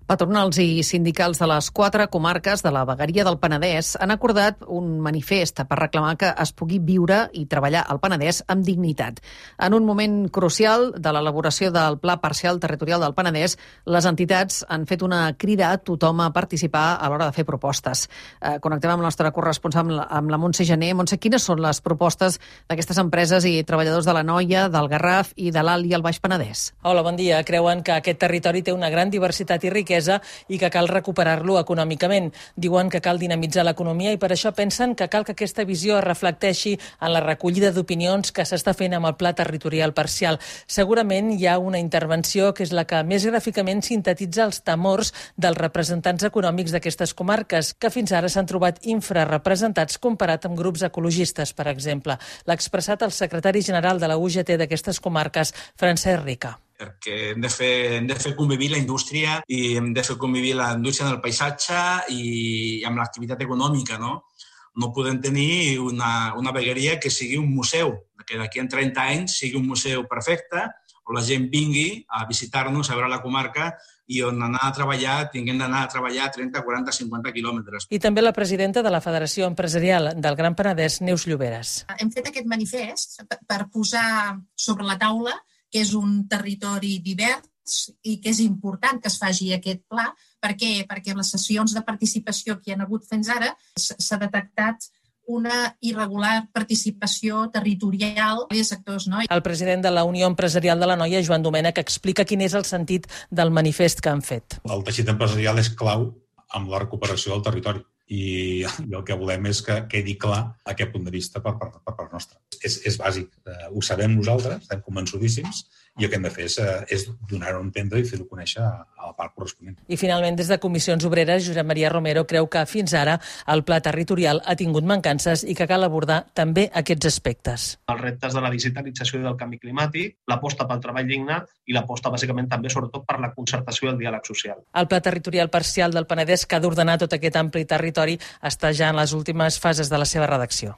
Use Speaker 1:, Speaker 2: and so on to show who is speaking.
Speaker 1: Patronals i sindicals de les 4 comarques de la vegueria del Penedès han acordat un manifest per reclamar que es pugui viure i treballar al Penedès amb dignitat. En un moment crucial de l'elaboració del Pla Parcial Territorial del Penedès, les entitats han fet una crida a tothom a participar a l'hora de fer propostes. Connectem amb la nostra corresponsal, amb la Montse Gené. Montse, quines són les propostes d'aquestes empreses i treballadors de l'Anoia, del Garraf i de l'Alt i el Baix Penedès?
Speaker 2: Hola, bon dia. Creuen que aquest territori té una gran diversitat i riquesa i que cal recuperar-lo econòmicament. Diuen que cal dinamitzar l'economia i per això pensen que cal que aquesta visió es reflecteixi en la recollida d'opinions que s'està fent amb el Pla Territorial Parcial. Segurament hi ha una intervenció que és la que més gràficament sintetitza els temors dels representants econòmics d'aquestes comarques, que fins ara s'han trobat infrarrepresentats comparat amb grups ecologistes, per exemple. L'ha expressat el secretari general de la UGT d'aquestes comarques, Francesc Rica.
Speaker 3: Perquè hem de fer convivir la indústria i hem de fer convivir la indústria del paisatge i amb l'activitat econòmica, no? No podem tenir una vegueria que sigui un museu, que d'aquí a 30 anys sigui un museu perfecte, on la gent vingui a visitar-nos, a veure la comarca i on anar a treballar, tinguem d'anar a treballar 30, 40, 50 quilòmetres.
Speaker 2: I també la presidenta de la Federació Empresarial del Gran Penedès, Neus Lloberes.
Speaker 4: Hem fet aquest manifest per posar sobre la taula que és un territori divers i que és important que es faci aquest pla. Per què? Perquè en les sessions de participació que hi ha hagut fins ara s'ha detectat una irregular participació territorial dels sectors, no?
Speaker 2: El president de la Unió Empresarial de l'Anoia, Joan Domènech, explica quin és el sentit del manifest que han fet.
Speaker 5: El teixit empresarial és clau amb la recuperació del territori i el que volem és que quedi clar aquest punt de vista per part nostra. És bàsic, ho sabem nosaltres, estem convençudíssims i el que hem de fer és donar-ho a entendre i fer-ho conèixer a la part corresponent.
Speaker 2: I finalment, des de Comissions Obreres, Josep Maria Romero creu que fins ara el pla territorial ha tingut mancances i que cal abordar també aquests aspectes.
Speaker 6: Els reptes de la digitalització i del canvi climàtic, l'aposta pel treball digne i l'aposta bàsicament també sobretot per la concertació i el diàleg social.
Speaker 2: El Pla Territorial Parcial del Penedès, que ha d'ordenar tot aquest ampli territori, està ja en les últimes fases de la seva redacció.